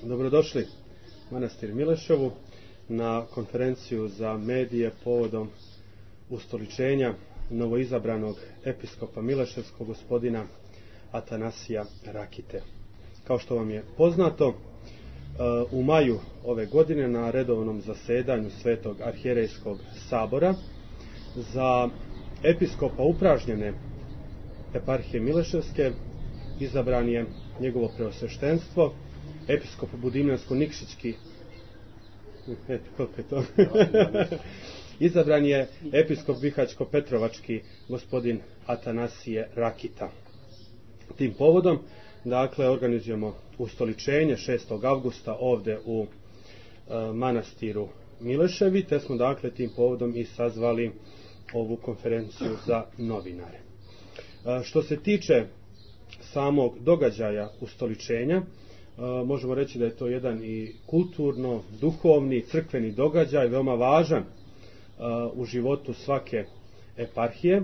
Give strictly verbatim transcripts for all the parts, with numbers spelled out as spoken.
Dobrodošli u manastir Mileševu na konferenciju za medije povodom ustoličenja novoizabranog episkopa Mileševskog gospodina Atanasija Rakite. Kao što vam je poznato, u maju ove godine na redovnom zasedanju Svetog arhijerejskog sabora za episkopa upražnjene eparhije Mileševske izabran je njegovo preosveštenstvo, episkop Budimljansko-Nikšićki, koliko je to? Izabran je episkop Bihaćko-Petrovački gospodin Atanasije Rakita. Tim povodom, dakle, organizujemo ustoličenje šestog avgusta ovdje u e, manastiru Mileševi, te smo, dakle, tim povodom i sazvali ovu konferenciju za novinare. E, što se tiče samog događaja ustoličenja, E, možemo reći da je to jedan i kulturno, duhovni, crkveni događaj, veoma važan e, u životu svake eparhije,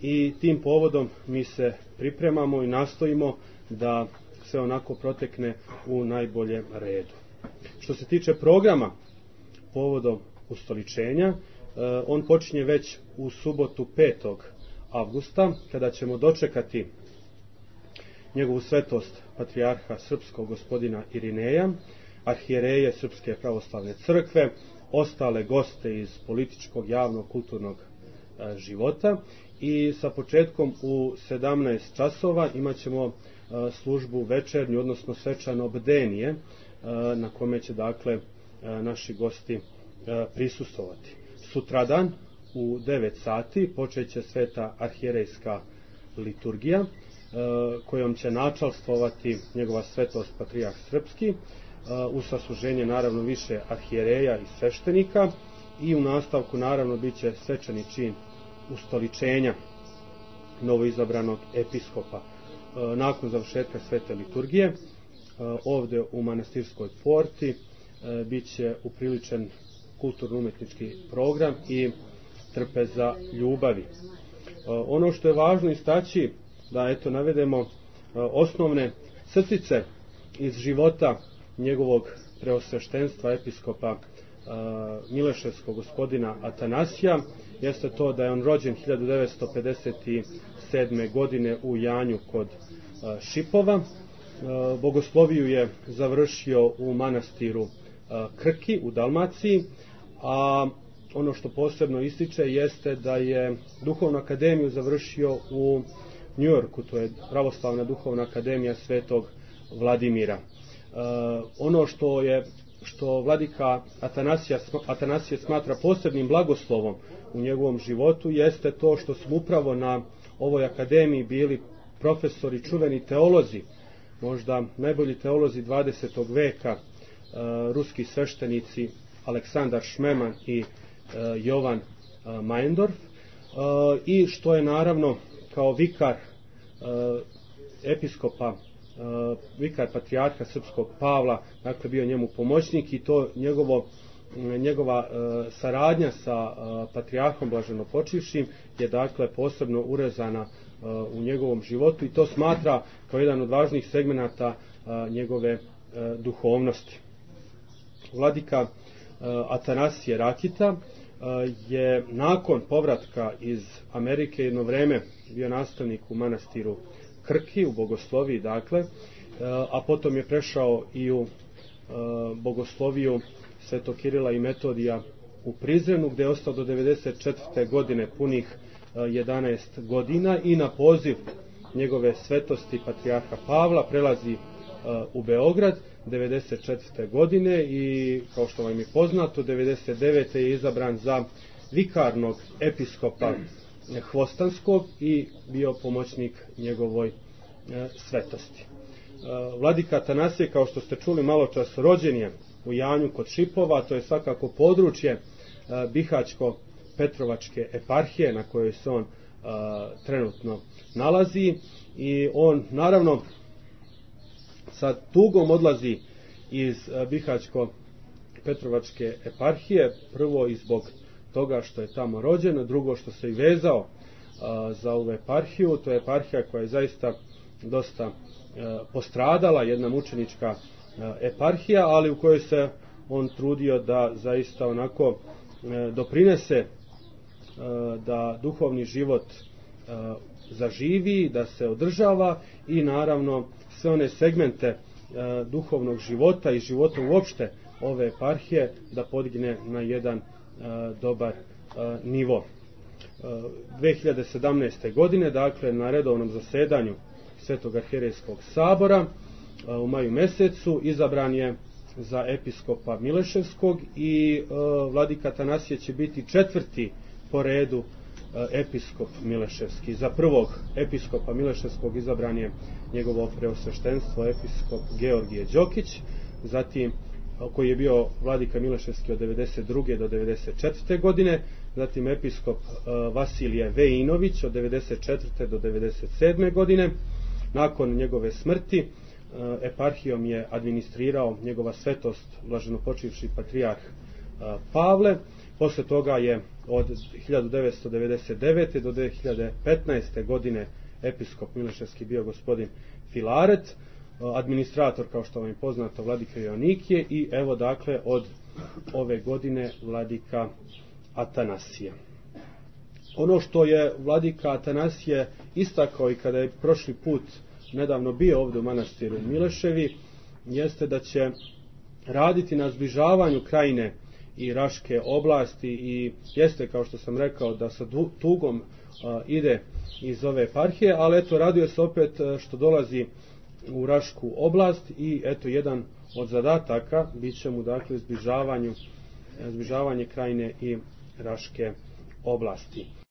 i tim povodom mi se pripremamo i nastojimo da sve onako protekne u najboljem redu. Što se tiče programa povodom ustoličenja, e, on počinje već u subotu petog avgusta, kada ćemo dočekati njegovu svetost patrijarha srpskog gospodina Irineja, arhijereje Srpske pravoslavne crkve, ostale goste iz političkog, javnog, kulturnog e, života, i sa početkom u sedamnaest časova imat ćemo e, službu večernju, odnosno svečano bdenije, e, na kome će, dakle, e, naši gosti e, prisustvovati. Sutradan u devet sati počeće sveta arhijerejska liturgija, kojom će načalstvovati njegova svetost patrijarh srpski, uz sasluženje naravno više arhijereja i sveštenika, i u nastavku naravno bit će svečani čin ustoličenja novoizabranog episkopa. Nakon završetka svete liturgije ovdje u manastirskoj porti bit će upriličen kulturno-umetnički program i trpeza ljubavi. Ono što je važno istaći, da eto navedemo osnovne crtice iz života njegovog preosveštenstva episkopa Mileševskog gospodina Atanasija, jeste to da je on rođen hiljadu devetsto pedeset sedme. godine u Janju kod Šipova. Bogosloviju je završio u manastiru Krki u Dalmaciji, a ono što posebno ističe jeste da je duhovnu akademiju završio u New Yorku, to je pravoslavna duhovna akademija Svetog Vladimira. E, ono što je što vladika Atanasija, Atanasije smatra posebnim blagoslovom u njegovom životu jeste to što smo upravo na ovoj akademiji bili profesori, čuveni teolozi, možda najbolji teolozi dvadesetog veka, e, ruski sveštenici Aleksandar Šmeman i e, Jovan e, Majendorf, e, i što je naravno kao vikar e, episkopa, e, vikar patrijarha srpskog Pavla, dakle bio njemu pomoćnik, i to njegovo, njegova e, saradnja sa e, patrijarhom blaženopočivšim je, dakle, posebno urezana e, u njegovom životu, i to smatra kao jedan od važnih segmenata e, njegove e, duhovnosti. Vladika e, Atanasije Rakita je nakon povratka iz Amerike jedno vreme bio nastavnik u manastiru Krki, u bogosloviji, dakle, a potom je prešao i u bogosloviju Svetog Kirila i Metodija u Prizrenu, gdje je ostao do devedeset četvrte. godine, punih jedanaest godina, i na poziv njegove svetosti patrijarha Pavla prelazi u Beograd devedeset četvrte. godine, i kao što vam je poznato, devedeset devete. je izabran za vikarnog episkopa Hvostanskog i bio pomoćnik njegovoj e, svetosti. E, Vladika Atanasije, kao što ste čuli malo čas, rođen je u Janju kod Šipova, to je svakako područje e, Bihaćko-Petrovačke eparhije na kojoj se on e, trenutno nalazi, i on naravno sa tugom odlazi iz Bihaćko-Petrovačke eparhije, prvo i zbog toga što je tamo rođen, drugo što se i vezao a, za ovu eparhiju. To je eparhija koja je zaista dosta a, postradala, jedna mučenička eparhija, ali u kojoj se on trudio da zaista onako doprinese da duhovni život zaživi, da se održava i naravno sve one segmente duhovnog života i života uopšte ove eparhije da podigne na jedan dobar nivo. dve hiljade sedamnaeste. godine, dakle na redovnom zasedanju Svetog arhijerejskog sabora u maju mesecu izabran je za episkopa Mileševskog i vladika Atanasije će biti četvrti po redu episkop Mileševski. Za prvog episkopa Mileševskog izabran je njegovo preosveštenstvo episkop Georgije Đokić, zatim koji je bio vladika Mileševski od devedeset druge do devedeset četvrte. godine, zatim episkop Vasilije Vejinović od devedeset četvrte do devedeset sedme. godine. Nakon njegove smrti eparhijom je administrirao njegova svetost blaženopočivši patrijarh Pavle. Posle toga je od hiljadu devetsto devedeset devete. do dve hiljade petnaeste. godine episkop Mileševski bio gospodin Filaret, administrator, kao što vam je poznato, vladika Joanikije i evo dakle od ove godine vladika Atanasije. Ono što je vladika Atanasije istakao i kada je prošli put nedavno bio ovdje u manastiru Mileševi, jeste da će raditi na zbližavanju Krajine i Raške oblasti i jeste, kao što sam rekao, da sa tugom a, ide iz ove eparhije, ali eto raduje se opet što dolazi u Rašku oblast i eto jedan od zadataka bit će mu dakle zbližavanju, zbližavanje Krajine i Raške oblasti.